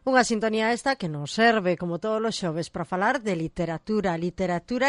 Unha sintonía esta que nos serve, como todos os xoves, para falar de literatura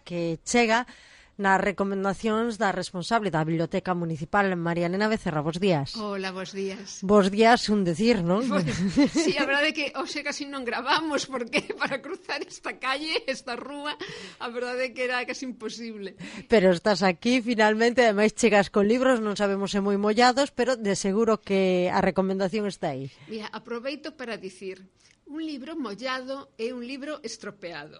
que chega nas recomendacións da responsable da Biblioteca Municipal, María Elena Becerra. Bos días. Hola, bos días. Bos días, un decir, non? Pues, sí, a verdade é que hoxe casi non gravamos, porque para cruzar esta calle, esta rúa, a verdade é que era casi imposible. Pero estás aquí, finalmente, ademais chegas con libros, non sabemos se moi mollados, pero de seguro que a recomendación está aí. Mira, aproveito para dicir, un libro mollado é un libro estropeado.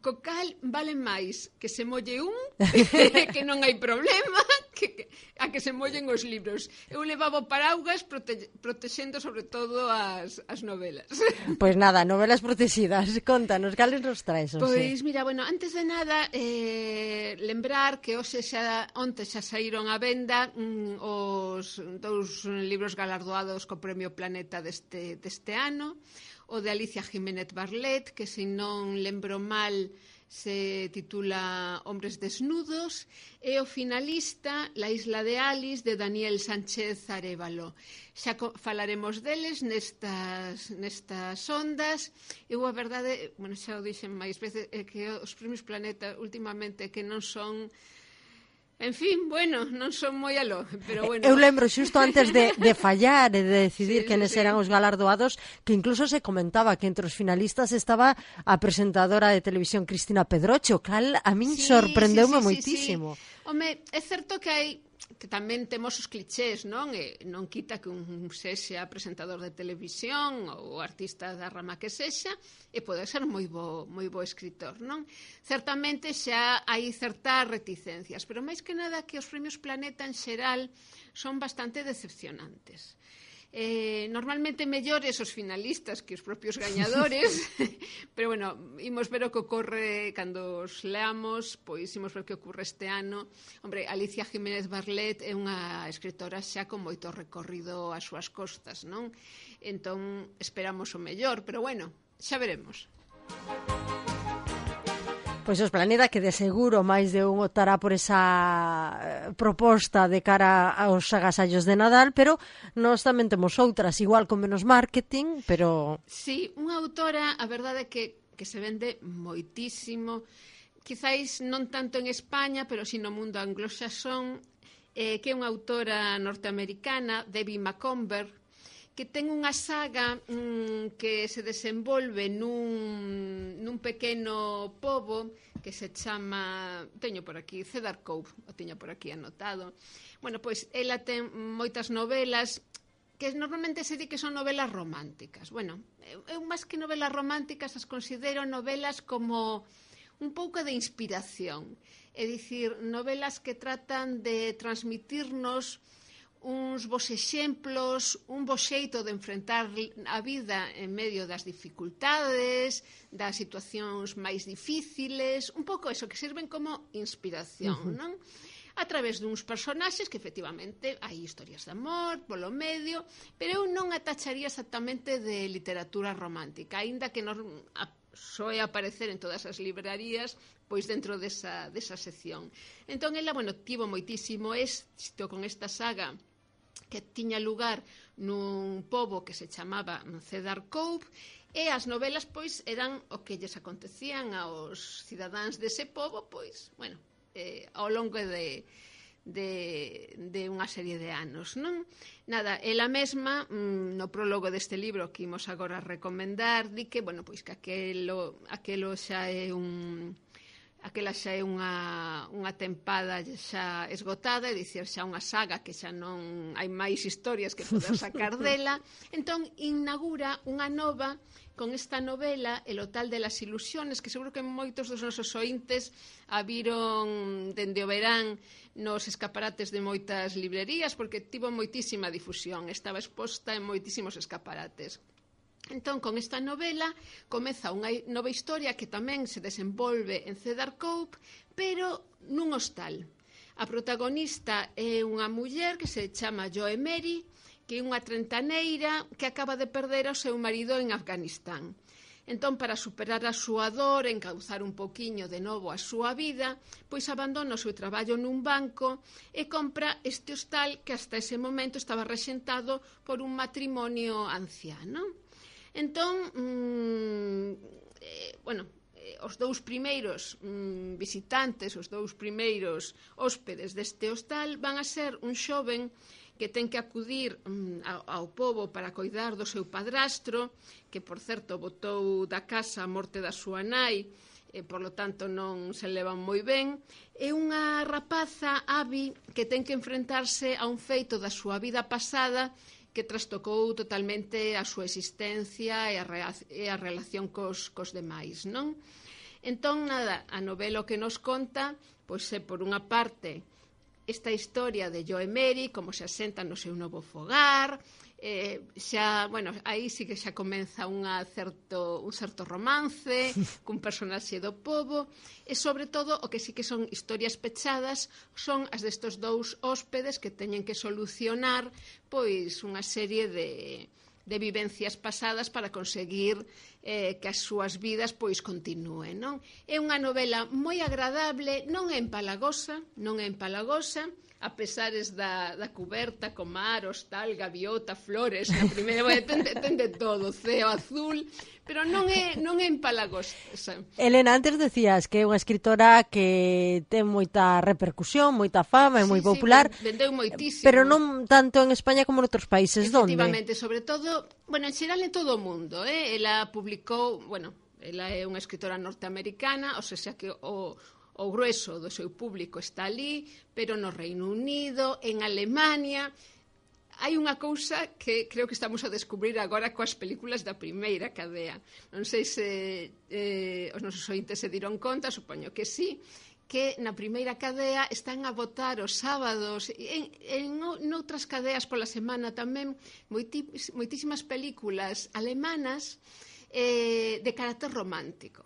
Co cal vale máis que se molle un, que non hai problema, a que se mollen os libros. Eu levaba paraugas protexendo sobre todo as novelas. Pois nada, novelas protegidas. Contanos, cales nos traes? Pois mira, bueno, antes de nada lembrar que onte xa saíron á venda os dous libros galardoados co Premio Planeta deste ano, o de Alicia Jiménez Barlet, que se non lembro mal se titula Hombres desnudos, e o finalista La isla de Alice, de Daniel Sánchez Arévalo. Xa falaremos deles nestas ondas. Eu a verdade, bueno, xa o dixen máis veces, é que os Premios Planeta últimamente que non son... En fin, bueno, non son moi aló, pero bueno. Eu lembro xusto antes de fallar e de decidir quenes eran os galardoados, que incluso se comentaba que entre os finalistas estaba a presentadora de televisión Cristina Pedrocho, cal a min sorprendeume moitísimo. Home, é certo que tamén temos os clichés, non? E non quita que un sexa presentador de televisión ou artista da rama que sexa, e pode ser moi bo escritor, non? Certamente xa hai certas reticencias, pero máis que nada que os Premios Planeta en xeral son bastante decepcionantes. Normalmente mellores os finalistas que os propios gañadores, pero bueno, imos ver o que ocorre cando os leamos, pois imos ver o que ocorre este ano. Hombre, Alicia Jiménez Barlet é unha escritora xa con moito recorrido ás súas costas, non? Entón, esperamos o mellor, pero bueno, xa veremos. Pois os Planeta, que de seguro máis de un optará por esa proposta de cara aos agasallos de Nadal, pero nós tamén temos outras, igual con menos marketing, pero... Sí, unha autora, a verdade é que se vende moitísimo, quizáis non tanto en España, pero si no mundo anglosaxón, que é unha autora norteamericana, Debbie Macomber, que ten unha saga que se desenvolve nun pequeno pobo que se chama, teño por aquí, Cedar Cove, o teño por aquí anotado. Bueno, pois ela ten moitas novelas que normalmente se di que son novelas románticas. Bueno, eu máis que novelas románticas as considero novelas como un pouco de inspiración. É dicir, novelas que tratan de transmitirnos uns bons exemplos, un bo xeito de enfrentar a vida en medio das dificultades, das situacións máis difíciles, un pouco eso, que sirven como inspiración, non? A través duns personaxes que efectivamente hai historias de amor polo medio, pero eu non a tacharía exactamente de literatura romántica, aínda que soe aparecer en todas as librarías pois dentro desa sección. Entón, ela, bueno, tivo moitísimo éxito con esta saga que tiña lugar nun pobo que se chamaba Cedar Cove, e as novelas, pois, eran o que lles acontecían aos cidadáns dese pobo, pois, bueno, ao longo de unha serie de anos, non? Nada, ela mesma, no prólogo deste libro que imos agora recomendar, di que, bueno, pois que aquela xa é unha tempada xa esgotada, é dicir, xa unha saga que xa non hai máis historias que poder sacar dela. Entón, inaugura unha nova con esta novela, El hotel de las ilusiones, que seguro que moitos dos nosos ointes a viron dende o verán nos escaparates de moitas librerías, porque tivo moitísima difusión, estaba exposta en moitísimos escaparates. Entón, con esta novela comeza unha nova historia que tamén se desenvolve en Cedar Cove, pero nun hostal. A protagonista é unha muller que se chama Joe Mary, que é unha trentaneira que acaba de perder ao seu marido en Afganistán. Entón, para superar a súa dor, encauzar un poquiño de novo a súa vida, pois abandona o seu traballo nun banco e compra este hostal que hasta ese momento estaba rexentado por un matrimonio anciano. Entón, os dous primeiros visitantes, os dous primeiros hóspedes deste hostal van a ser un xoven que ten que acudir ao pobo para coidar do seu padrastro, que, por certo, botou da casa a morte da súa nai, por lo tanto non se levan moi ben, e unha rapaza, Abby, que ten que enfrentarse a un feito da súa vida pasada que trastocou totalmente a súa existencia e a relación cos demais, non? Entón, nada, a novela que nos conta, pois é, por unha parte, esta historia de Jo e Mary, como se asentan no seu novo fogar, aí sí que xa comeza un certo romance cun personaxe do pobo, e sobre todo o que sí que son historias pechadas son as destos dous hóspedes que teñen que solucionar pois unha serie de vivencias pasadas para conseguir que as súas vidas pois continúen, non? É unha novela moi agradable, non é empalagosa, a pesares da cuberta con mar, hostal, gaviota, flores, na primeira, ten de todo, ceo azul, pero non é empalagosa. Elena, antes decías que é unha escritora que ten moita repercusión, moita fama, é moi popular. Vendeu moitísimo. Pero non tanto en España como en outros países. Donde? Efectivamente, sobre todo, en xeral en todo o mundo. Ela publicou, ela é unha escritora norteamericana, ou seja que o grueso do seu público está ali, pero no Reino Unido, en Alemania. Hai unha cousa que creo que estamos a descubrir agora coas películas da primeira cadea. Non sei se os nosos ointes se diron conta, supoño que sí, que na primeira cadea están a botar os sábados, en outras cadeas pola semana tamén, moitísimas películas alemanas de carácter romántico.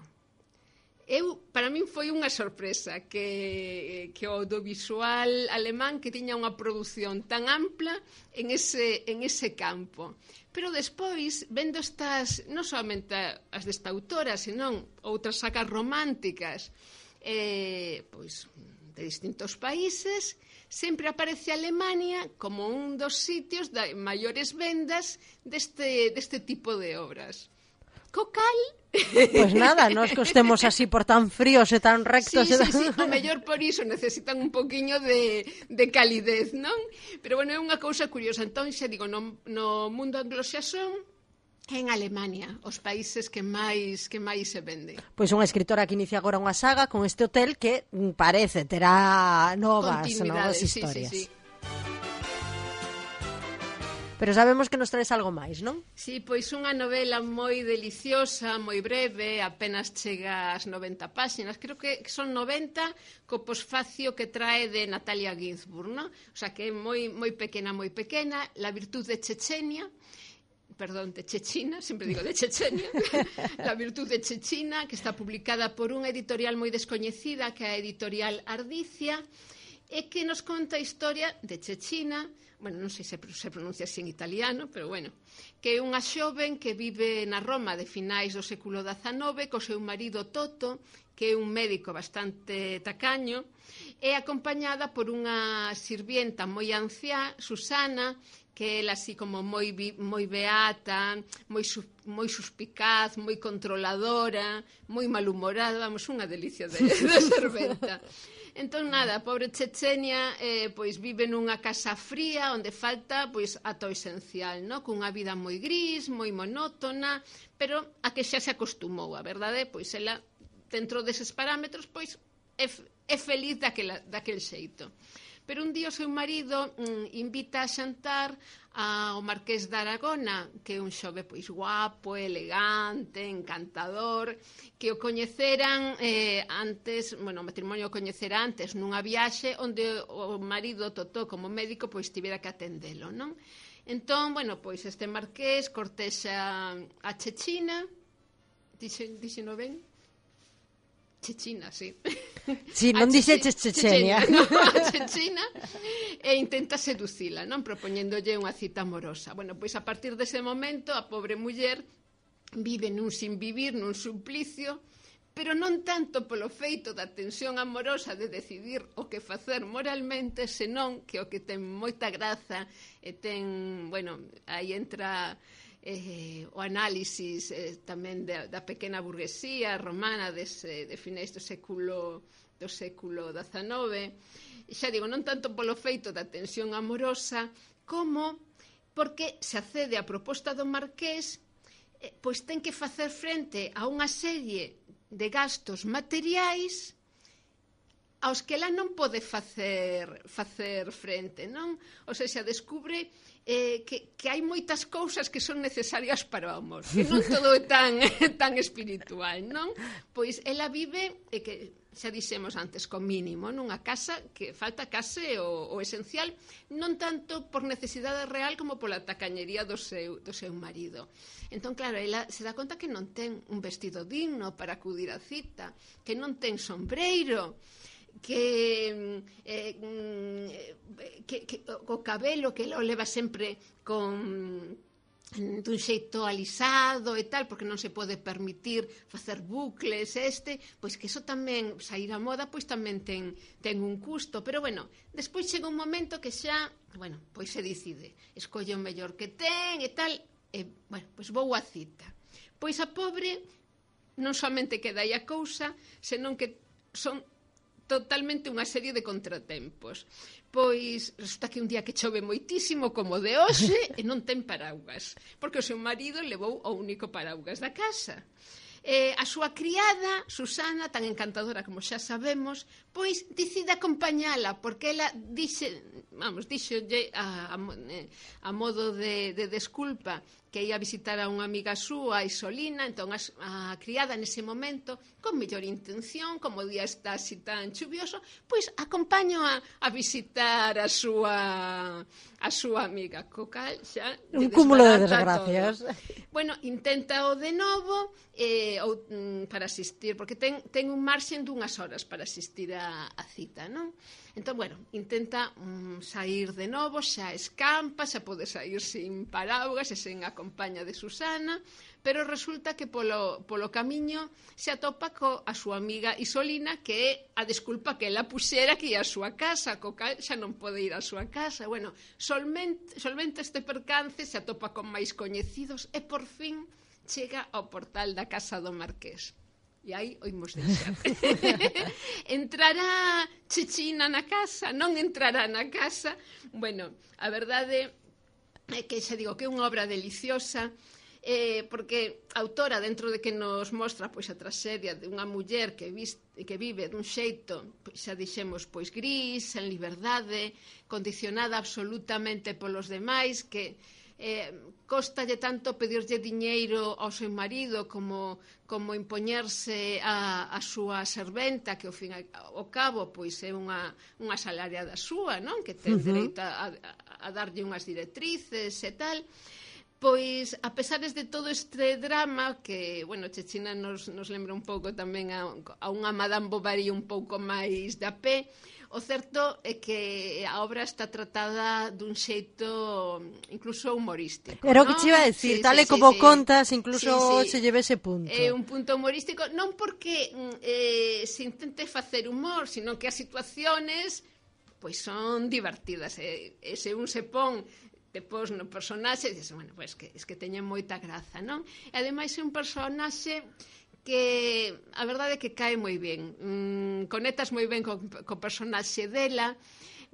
Para min foi unha sorpresa que o audiovisual alemán que tiña unha produción tan ampla en ese campo. Pero despois, vendo estas, non somente as desta autora, senón outras sagas románticas pois de distintos países, sempre aparece Alemania como un dos sitios de maiores vendas deste tipo de obras. Co cal... Pois nada, nós que estemos así por tan fríos e tan rectos... Sí, o mellor por iso necesitan un poquinho de calidez, non? Pero, é unha cousa curiosa. Entón, xa digo, no mundo anglosaxón, en Alemania, os países que máis se venden. Pois unha escritora que inicia agora unha saga con este hotel que parece terá novas historias. Sí. Pero sabemos que nos traes algo máis, non? Sí, pois unha novela moi deliciosa, moi breve, apenas chega ás 90 páxinas, creo que son 90 co posfacio que trae de Natalia Ginzburg, non? O sea, que é moi pequena, La virtud de Chechenia, de Chechina, sempre digo de Chechenia, La virtud de Chechina, que está publicada por unha editorial moi descoñecida, que é a editorial Ardicia, e que nos conta a historia de Chechina, non sei se pronuncia así en italiano, pero que é unha xoven que vive na Roma de finais do século XIX co seu marido Toto, que é un médico bastante tacaño, e acompañada por unha sirvienta moi anciá, Susana, que é así como moi beata, moi suspicaz, moi controladora, moi malhumorada, unha delicia de serventa. Entón, nada, a pobre Chechenia pois vive nunha casa fría onde falta pois ata o esencial, non? Cunha vida moi gris, moi monótona, pero a que xa se acostumou, a verdade, pois ela, dentro deses parámetros, pois é feliz daquel xeito. Pero un día o seu marido invita a xantar ao Marqués de Aragona, que é un xove pois guapo, elegante, encantador, que o coñeceran antes, o matrimonio o coñecera antes nunha viaxe onde o marido Totó como médico pois tivera que atendelo, non? Entón, pois este Marqués cortexa a Chechina, dixeno ben? Chechina, sí. Si, non dixeches Chechenia. Chechina, e intenta seducila, non? Propoñéndolle unha cita amorosa. Pois a partir dese momento a pobre muller vive nun sinvivir, nun suplicio, pero non tanto polo feito da tensión amorosa de decidir o que facer moralmente, senón que o que ten moita graza e ten, aí entra o análisis tamén da pequena burguesía romana de finais do século XIX. Xa digo, non tanto polo feito da tensión amorosa, como porque se accede á proposta do marqués, pois ten que facer frente a unha serie de gastos materiais aos que ela non pode facer frente, non? Ou seja, descubre que hai moitas cousas que son necesarias para o amor, que non todo é tan espiritual, non? Pois ela vive, que xa dixemos antes, co mínimo, nunha casa que falta case o esencial, non tanto por necesidade real como pola tacañería do seu marido. Entón, claro, ela se dá conta que non ten un vestido digno para acudir á cita, que non ten sombreiro, que o cabelo que o leva sempre dun xeito alisado e tal, porque non se pode permitir facer bucles pois que iso tamén, sair a moda, pois tamén ten un custo, pero bueno, despois chega un momento que xa, bueno, pois se decide, escolle o mellor que ten e tal, e, bueno, pois vou á cita. Pois a pobre non somente queda aí a cousa, senón que son totalmente unha serie de contratempos. Pois resulta que un día que chove moitísimo, como de hoxe, e non ten paraugas, porque o seu marido levou o único paraugas da casa. A súa criada, Susana, tan encantadora como xa sabemos, pois decide acompañala, porque ela díxolle a modo de desculpa que ia visitar a unha amiga súa, Isolina. Entón a criada nese momento, con mellor intención, como o día está así tan chuvioso, pois acompaño a visitar a súa amiga, co cal xa un cúmulo de desgracias. Bueno, intenta o de novo para asistir, porque ten un marxen dunhas horas para asistir a cita, non? Entón, bueno, intenta sair de novo, xa escampa, xa pode sair sin paraugas e sen a compaña de Susana, pero resulta que polo camiño se atopa a súa amiga Isolina, que é a desculpa que ela puxera que ia á súa casa, co cal xa non pode ir á súa casa. Bueno, solvente este percance, se atopa con máis coñecidos e por fin chega ao portal da casa do marqués. E aí oímos deixar. Entrará Chechina na casa? Non entrará na casa? Bueno, a verdade é que xa digo que é unha obra deliciosa, porque a autora, dentro de que nos mostra pois a traxedia de unha muller que vive dun xeito, pois xa dixemos, pois gris, en liberdade, condicionada absolutamente polos demais, que costalle tanto pedirlle diñeiro ao seu marido como impoñerse a súa serventa, que ao fin ao cabo pois é unha asalariada súa, non? Que ten dereito a darlle unhas directrices e tal. Pois, a pesares de todo este drama, que, bueno, Chechina nos lembra un pouco tamén a unha Madame Bovary un pouco máis da pé, o certo é que a obra está tratada dun xeito incluso humorístico. Era o que te iba a decir, tal e como contas, incluso se lleve ese punto. É un punto humorístico, non porque se intente facer humor, sino que as situaciones pois son divertidas. E se un se pon depois no personaxe, dices, bueno, pois es que teñen moita graza, non? E ademais é un personaxe que a verdade é que cae moi ben, conectas moi ben co personaxe dela,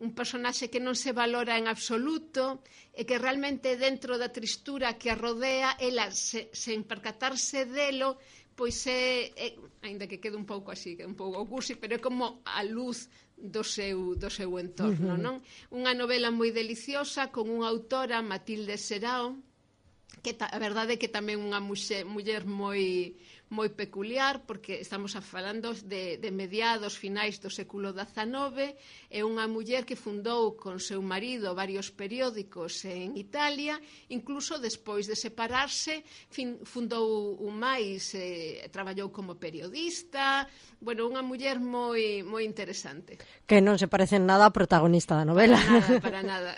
un personaxe que non se valora en absoluto e que realmente dentro da tristura que a rodea, ela sen percatarse delo, pois é, aínda que quede un pouco así, un pouco cursi, pero é como a luz do seu entorno, non? Unha novela moi deliciosa con unha autora, Matilde Serao, que a verdade é que tamén unha muller moi peculiar, porque estamos falando de mediados, finais do século XIX, é unha muller que fundou con seu marido varios periódicos en Italia, incluso despois de separarse fundou un máis, traballou como periodista, bueno, unha muller moi interesante. Que non se parece en nada á protagonista da novela. Para nada.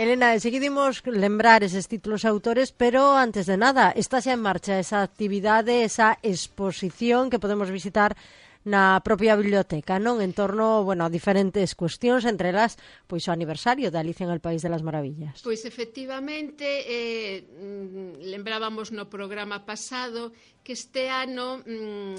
Elena, seguimos lembrar eses títulos autores, pero antes de nada, está xa en marcha esa actividade, esa exposición que podemos visitar na propia biblioteca, non? En torno, bueno, a diferentes cuestións, entre elas, pois o aniversario de Alicia en el País de las Maravillas. Pois efectivamente, lembrábamos no programa pasado que este ano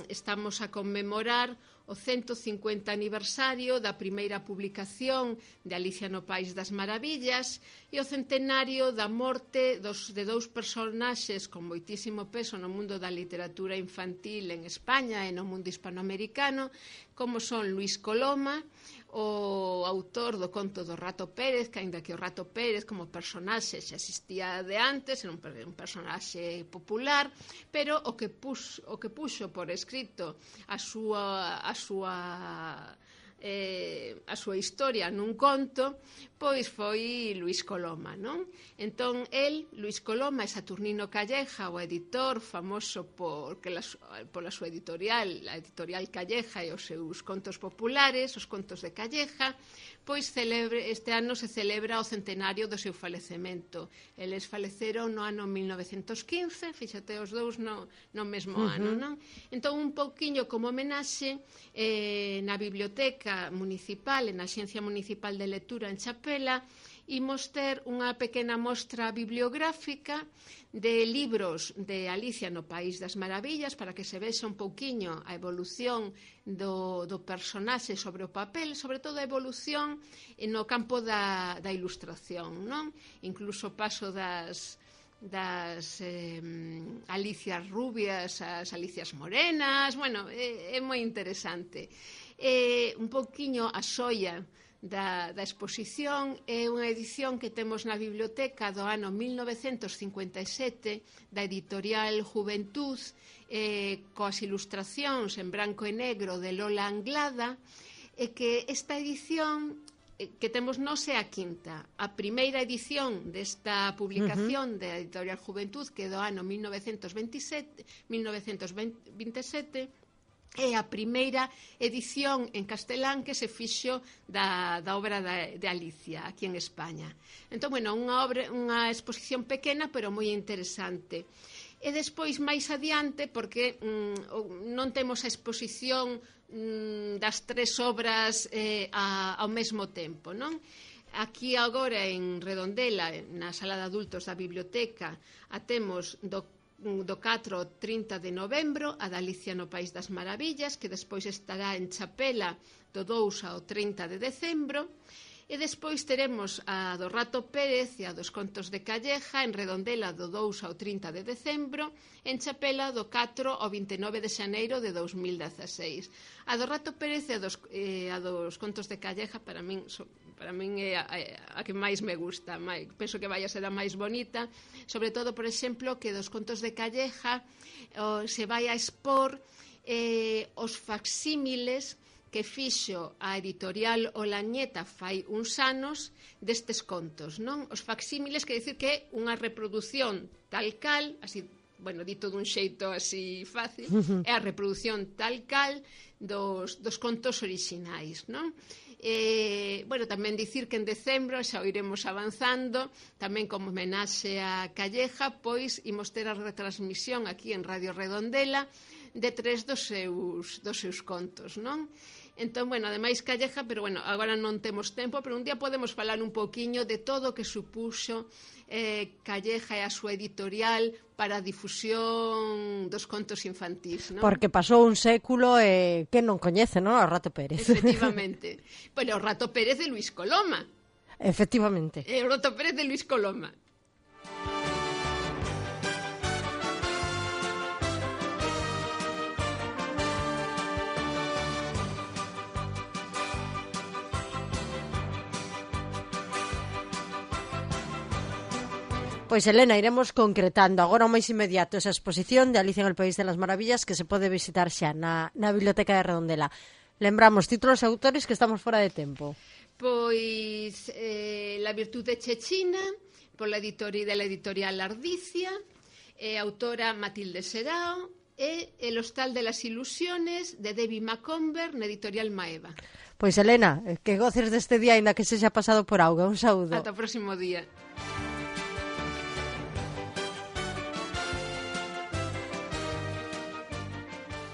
estamos a conmemorar o 150 aniversario da primeira publicación de Alicia no País das Maravillas e o centenario da morte de dous personaxes con moitísimo peso no mundo da literatura infantil en España e no mundo hispanoamericano, como son Luis Coloma, o autor do conto do Rato Pérez, que aínda que o Rato Pérez como personaxe xa existía de antes, era un personaxe popular, pero o que puxo por escrito a súa historia nun conto, pois foi Luis Coloma, non? Entón, Luis Coloma e Saturnino Calleja, o editor famoso pola súa editorial, a editorial Calleja e os seus contos populares, os contos de Calleja, pois este ano se celebra o centenario do seu falecemento. Eles faleceron no ano 1915, fíxate os dous no mesmo ano, non? Entón, un pouquiño como homenaxe, na biblioteca municipal, na Axencia Municipal de Lectura en Chapela, imos ter unha pequena mostra bibliográfica de libros de Alicia no País das Maravillas para que se vexa un pouquiño a evolución do personaxe sobre o papel, sobre todo a evolución no campo da ilustración, non? Incluso o paso das Alicias rubias, as Alicias morenas, bueno, é moi interesante. Un pouquiño a xoia da exposición é unha edición que temos na biblioteca do ano 1957 da editorial Juventud, coas ilustracións en branco e negro de Lola Anglada, e que esta edición que temos nós é a quinta. A primeira edición desta publicación da editorial Juventud, que é do ano 1927, é a primeira edición en castelán que se fixo da obra de Alicia aquí en España. Entón, bueno, unha exposición pequena pero moi interesante. E despois, máis adiante, porque non temos a exposición das tres obras ao mesmo tempo, non? Aquí agora en Redondela, na sala de adultos da biblioteca, a temos do 4 ao 30 de novembro a da Alicia no País das Maravillas, que despois estará en Chapela do 2 ao 30 de decembro, e despois teremos a do Rato Pérez e a dos contos de Calleja en Redondela do 2 ao 30 de decembro, en Chapela do 4 ao 29 de xaneiro de 2016. A do Rato Pérez e a dos contos de Calleja para min é a que máis me gusta, penso que vai a ser a máis bonita, sobre todo, por exemplo, que dos contos de Calleja se vai a expor os facsímiles que fixo a editorial Olañeta fai uns anos destes contos, non? Os facsímiles quer dicir que é unha reproducción tal cal, así, bueno, dito dun xeito así fácil, é a reproducción tal cal dos contos orixinais, non? Bueno, tamén dicir que en decembro xa o iremos avanzando, tamén como homenaxe a Calleja, pois imos ter a retransmisión aquí en Radio Redondela de 3 dos seus contos, non? Entón, bueno, ademais Calleja, pero bueno, agora non temos tempo, pero un día podemos falar un pouquiño de todo o que supuxo Calleja e a súa editorial para a difusión dos contos infantís, non? Porque pasou un século e que non coñece, non? O Rato Pérez. Efectivamente. Bueno, o Rato Pérez de Luis Coloma. Efectivamente. O Rato Pérez de Luis Coloma. Pois, Elena, iremos concretando agora o máis inmediato esa exposición de Alicia en el País de las Maravillas que se pode visitar xa na Biblioteca de Redondela. Lembramos títulos e autores que estamos fora de tempo. Pois La virtude chechina, pola editorial Ardicia, autora Matilde Serao, e El hostal de las ilusiones de Debbie Macomber na editorial Maeva. Pois, Elena, que goces deste día aínda que se xa pasado por auga. Un saúdo. Ata o próximo día.